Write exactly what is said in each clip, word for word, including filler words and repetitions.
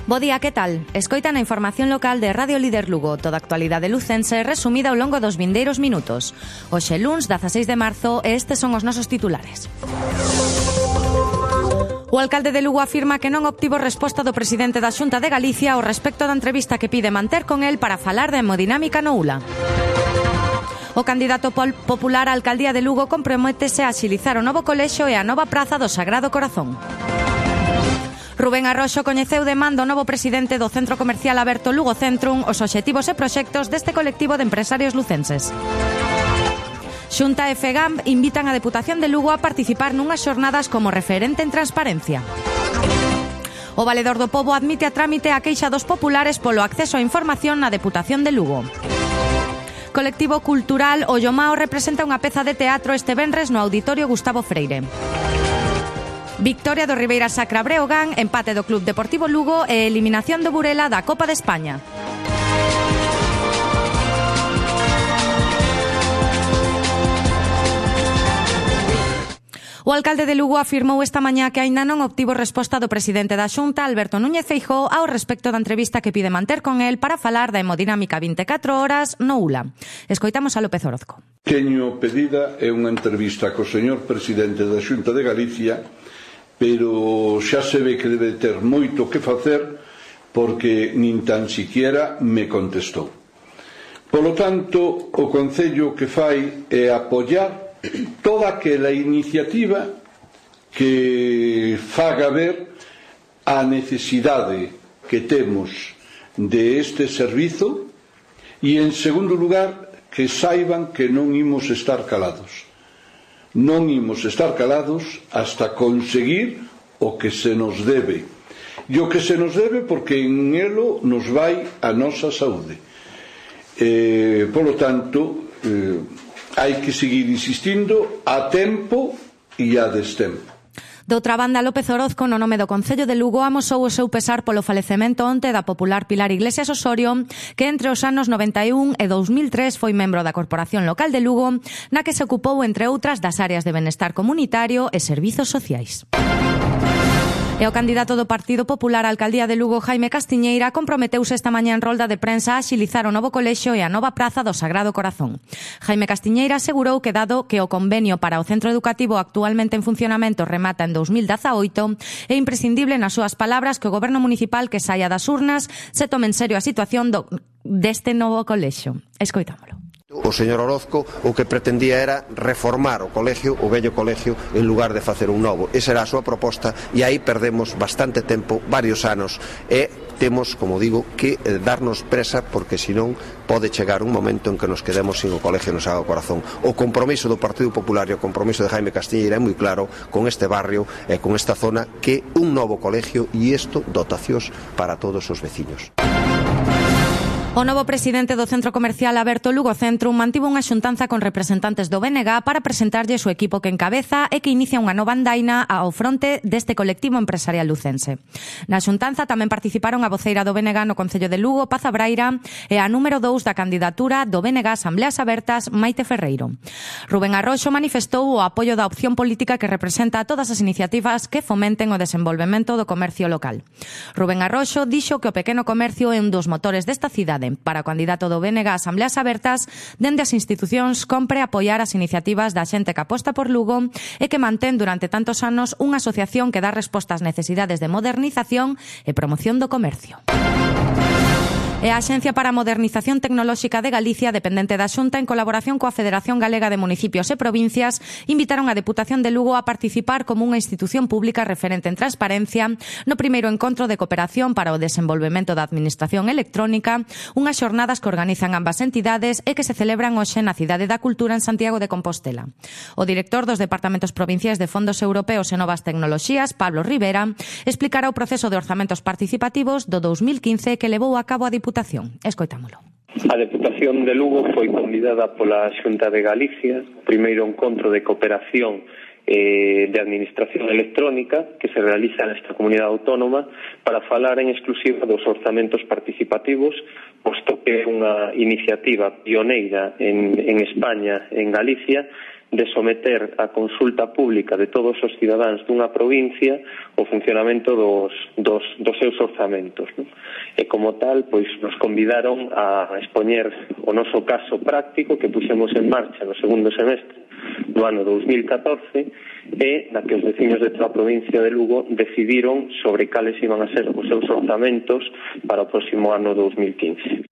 Bo día, que tal? Escoitan a información local de Radio Líder Lugo, toda a actualidade lucense resumida ao longo dos vindeiros minutos. Hoxe luns, dezaseis de marzo, e estes son os nosos titulares. O alcalde de Lugo afirma que non obtivo resposta do presidente da Xunta de Galicia ao respecto da entrevista que pide manter con el para falar da hemodinámica no U L A. O candidato popular á alcaldía de Lugo comprométese a axilizar o novo colexio e a nova praza do Sagrado Corazón. Rubén Arroxo coñeceu de man do novo presidente do Centro Comercial Aberto Lugo Centrum os obxectivos e proxectos deste colectivo de empresarios lucenses. Xunta e FEGAMP invitan a Deputación de Lugo a participar nunhas xornadas como referente en transparencia. O Valedor do Pobo admite a trámite a queixa dos populares polo acceso á información na Deputación de Lugo. Colectivo cultural O Llomao representa unha peza de teatro este venres no Auditorio Gustavo Freire. Victoria do Ribeira Sacra Breogán, empate do Club Deportivo Lugo e eliminación do Burela da Copa de España. O alcalde de Lugo afirmou esta mañá que aínda non obtivo resposta do presidente da Xunta, Alberto Núñez Feijóo, ao respecto da entrevista que pide manter con el para falar da hemodinámica vinte e catro horas no U L A. Escoitamos a López Orozco. Teño pedida é unha entrevista co señor presidente da Xunta de Galicia, pero xa se ve que debe ter moito que facer porque nin tan siquiera me contestou. Polo tanto, o Concello que fai é apoiar toda aquela iniciativa que faga ver a necesidade que temos de este servizo e, en segundo lugar, que saiban que non imos estar calados. Non imos estar calados hasta conseguir o que se nos debe. E o que se nos debe porque en elo nos vai a nosa saúde. Eh, polo tanto, eh, hai que seguir insistindo a tempo e a destempo. Doutra banda, López Orozco, no nome do Concello de Lugo, amosou o seu pesar polo falecemento onte da popular Pilar Iglesias Osorio, que entre os anos noventa e un e dous mil tres foi membro da Corporación Local de Lugo, na que se ocupou, entre outras, das áreas de benestar comunitario e servizos sociais. E o candidato do Partido Popular á alcaldía de Lugo, Jaime Castiñeira, comprometeuse esta mañá en rolda de prensa a axilizar o novo colexio e a nova praza do Sagrado Corazón. Jaime Castiñeira asegurou que, dado que o convenio para o centro educativo actualmente en funcionamento remata en dous mil dezaoito, é imprescindible, nas súas palabras, que o goberno municipal que saia das urnas se tome en serio a situación do, deste novo colexio. Escoitámolo. O señor Orozco o que pretendía era reformar o colegio, o vello colegio, en lugar de facer un novo. Esa era a súa proposta e aí perdemos bastante tempo, varios anos, e temos, como digo, que darnos presa porque senón pode chegar un momento en que nos quedemos sin o colegio no Sagrado Corazón. O compromiso do Partido Popular e o compromiso de Jaime Castiñeira é moi claro con este barrio e con esta zona, que un novo colegio e isto dotacións para todos os veciños. O novo presidente do Centro Comercial Aberto Lugo Centrum mantivo unha xuntanza con representantes do B N G para presentarlle o equipo que encabeza e que inicia unha nova andaina ao fronte deste colectivo empresarial lucense. Na xuntanza tamén participaron a voceira do B N G no Concello de Lugo, Paz Abraira, e a número dous da candidatura do B N G Asambleas Abertas, Maite Ferreiro. Rubén Arroxo manifestou o apoio da opción política que representa a todas as iniciativas que fomenten o desenvolvemento do comercio local. Rubén Arroxo dixo que o pequeno comercio é un dos motores desta cidade. Para o candidato do B N G Asambleas Abertas, dende as institucións compre apoiar as iniciativas da xente que aposta por Lugo e que mantén durante tantos anos unha asociación que dá resposta ás necesidades de modernización e promoción do comercio. E a Axencia para a Modernización Tecnolóxica de Galicia, dependente da Xunta, en colaboración coa Federación Galega de Municipios e Provincias, invitaron a Deputación de Lugo a participar como unha institución pública referente en transparencia no primeiro encontro de cooperación para o desenvolvemento da Administración Electrónica, unhas xornadas que organizan ambas entidades e que se celebran hoxe na Cidade da Cultura en Santiago de Compostela. O director dos Departamentos Provinciais de Fondos Europeos e Novas Tecnoloxías, Pablo Rivera, explicará o proceso de orzamentos participativos do dous mil quince que levou a cabo a Diputación. Escoitámolo. A Deputación de Lugo foi convidada pola Xunta de Galicia, primeiro encontro de cooperación eh, de Administración Electrónica que se realiza nesta comunidade autónoma para falar en exclusiva dos orzamentos participativos, posto que é unha iniciativa pioneira en, en España, en Galicia, de someter a consulta pública de todos os cidadáns dunha provincia o funcionamento dos, dos, dos seus orzamentos, non? E como tal, pois nos convidaron a expoñer o noso caso práctico que puxemos en marcha no segundo semestre do ano dous mil catorce e na que os veciños de toda a provincia de Lugo decidiron sobre cales iban a ser os seus orzamentos para o próximo ano dous mil quince.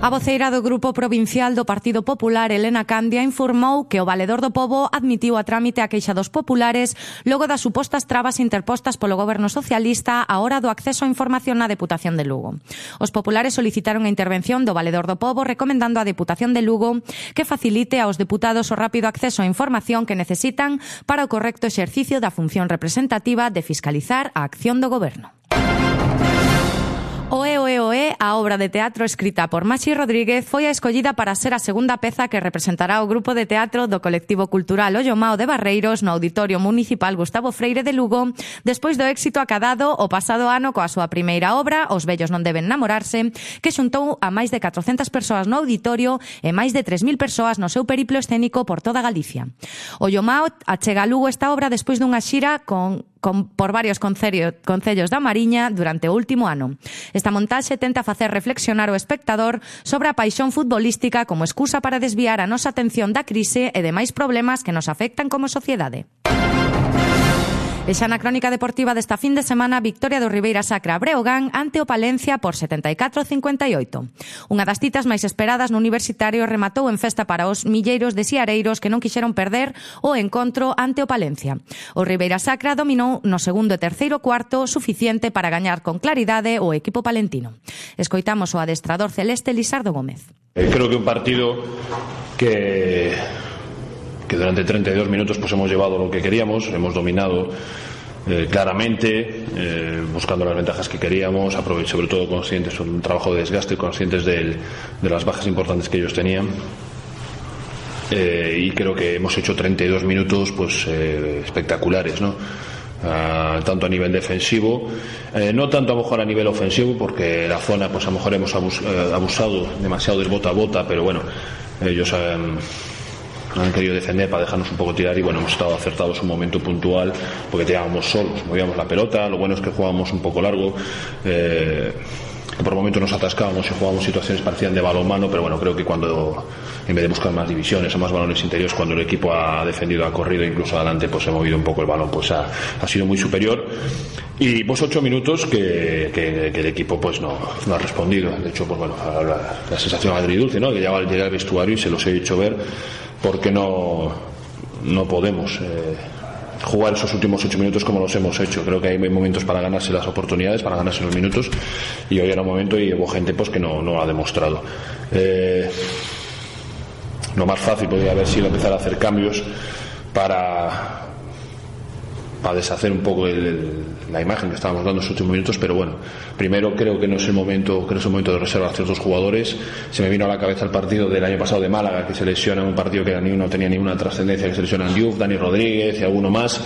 A voceira do Grupo Provincial do Partido Popular, Elena Candia, informou que o Valedor do Pobo admitiu a trámite a queixa dos populares logo das supostas trabas interpostas polo goberno socialista á hora do acceso á información na Deputación de Lugo. Os populares solicitaron a intervención do Valedor do Pobo recomendando á Deputación de Lugo que facilite aos deputados o rápido acceso á información que necesitan para o correcto exercicio da función representativa de fiscalizar a acción do goberno. Oe, oe, oe, a obra de teatro escrita por Maxi Rodríguez foi a escollida para ser a segunda peza que representará o grupo de teatro do colectivo cultural Ollomao de Barreiros no Auditorio Municipal Gustavo Freire de Lugo, despois do éxito acadado o pasado ano coa súa primeira obra, Os vellos non deben namorarse, que xuntou a máis de catrocentas persoas no auditorio e máis de tres mil persoas no seu periplo escénico por toda Galicia. Ollomao achega a Lugo esta obra despois dunha xira con Con, por varios concellos, concellos da Mariña durante o último ano. Esta montaxe tenta facer reflexionar o espectador sobre a paixón futbolística como excusa para desviar a nosa atención da crise e demais problemas que nos afectan como sociedade. E xa na crónica deportiva desta fin de semana, victoria do Ribeira Sacra Breogán ante o Palencia por setenta e catro a cincuenta e oito. Unha das citas máis esperadas no Universitario rematou en festa para os milleiros de siareiros que non quixeron perder o encontro ante o Palencia. O Ribeira Sacra dominou no segundo e terceiro cuarto suficiente para gañar con claridade o equipo palentino. Escoitamos o adestrador celeste Lisardo Gómez. Eh, creo que un partido que... que durante treinta y dos minutos pues hemos llevado lo que queríamos, hemos dominado eh, claramente, eh, buscando las ventajas que queríamos, sobre todo conscientes, un trabajo de desgaste, conscientes del, de las bajas importantes que ellos tenían. Eh, y creo que hemos hecho treinta y dos minutos pues eh, espectaculares, ¿no? Uh, tanto a nivel defensivo, eh, no tanto a lo mejor a nivel ofensivo, porque la zona pues a lo mejor hemos abus, eh, abusado demasiado del bota a bota, pero bueno, ellos eh, han querido defender para dejarnos un poco tirar y bueno, hemos estado acertados un momento puntual porque tirábamos solos, movíamos la pelota, lo bueno es que jugábamos un poco largo, eh, que por momentos nos atascábamos y jugábamos situaciones parecían de balonmano, pero bueno, creo que cuando en vez de buscar más divisiones o más balones interiores, cuando el equipo ha defendido, ha corrido incluso adelante, pues he movido un poco el balón, pues ha, ha sido muy superior. Y pues ocho minutos que, que, que el equipo pues no, no ha respondido. De hecho, pues bueno, la, la sensación agridulce, ¿no? Que ya llegué al vestuario y se los he hecho ver porque no, no podemos eh, jugar esos últimos ocho minutos como los hemos hecho. Creo que hay momentos para ganarse las oportunidades, para ganarse los minutos, y hoy era un momento y hubo gente pues que no, no lo ha demostrado. Eh, lo más fácil podría haber sido empezar a hacer cambios para para deshacer un poco el, el, la imagen que estábamos dando en los últimos minutos, pero bueno, primero creo que no es el momento, creo que es el momento de reservar a ciertos jugadores. Se me vino a la cabeza el partido del año pasado de Málaga, que se lesiona, un partido que ni no tenía ninguna trascendencia, que se lesionan Diouf, Dani Rodríguez y alguno más,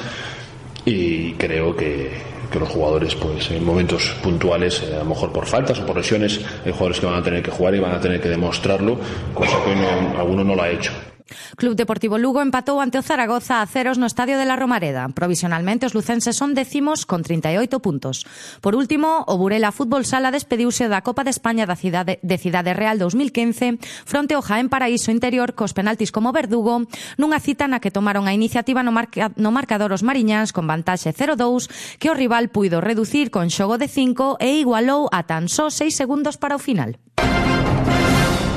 y creo que, que los jugadores pues en momentos puntuales, eh, a lo mejor por faltas o por lesiones, hay jugadores que van a tener que jugar y van a tener que demostrarlo, cosa que no, alguno no lo ha hecho. Club Deportivo Lugo empatou ante o Zaragoza a ceros no Estadio de la Romareda. Provisionalmente os lucenses son décimos con trinta e oito puntos. Por último, o Burela Fútbol Sala despediuse da Copa de España da Cidade, de Cidade Real dos mil quince fronte ao Jaén Paraíso Interior cos penaltis como verdugo nunha cita na que tomaron a iniciativa no, marca, no marcador os mariñáns con vantaxe cero dous que o rival puido reducir con xogo de cinco e igualou a tan só seis segundos para o final.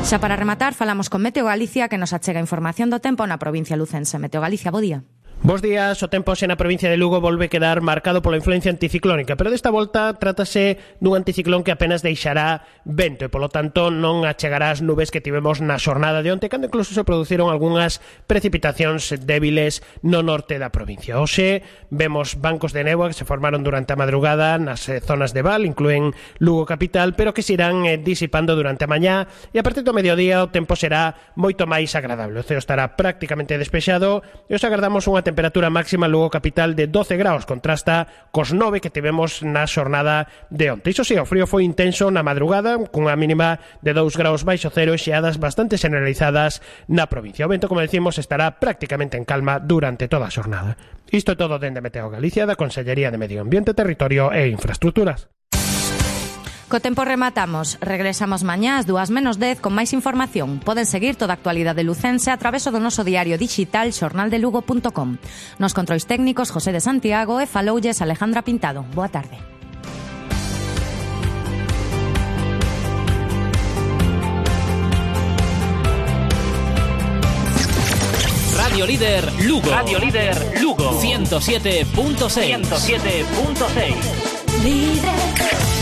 Xa para rematar, falamos con Meteo Galicia, que nos achega información do tempo na provincia lucense. Meteo Galicia, bo día. Bos días, o tempo xe na provincia de Lugo volve quedar marcado pola influencia anticiclónica, pero desta volta trátase dun anticiclón que apenas deixará vento e, polo tanto, non achegará as nubes que tivemos na xornada de onte, cando incluso se produciron algunhas precipitacións débiles no norte da provincia. Hoxe vemos bancos de néboa que se formaron durante a madrugada nas eh, zonas de Val, incluen Lugo capital, pero que se irán eh, disipando durante a mañá e a partir do mediodía o tempo será moito máis agradable. O ceo estará prácticamente despexado e os agardamos unha temperatura máxima Lugo capital de doce graus, contrasta cos nove que tivemos na xornada de onte. Iso si, o frío foi intenso na madrugada, cunha mínima de dous graus baixo cero e xeadas bastante generalizadas na provincia. O vento, como decimos, estará prácticamente en calma durante toda a xornada. Isto é todo dende Meteo Galicia, da Consellería de Medio Ambiente, Territorio e Infraestructuras. Co tempo rematamos. Regresamos mañá ás dúas menos dez con máis información. Poden seguir toda a actualidade lucense a través do noso diario digital xornal de lugo punto com. Nos controis técnicos José de Santiago e faloulles Alejandra Pintado. Boa tarde. Radio Líder Lugo. Radio Líder Lugo. ciento siete punto seis. ciento siete punto seis. Líder.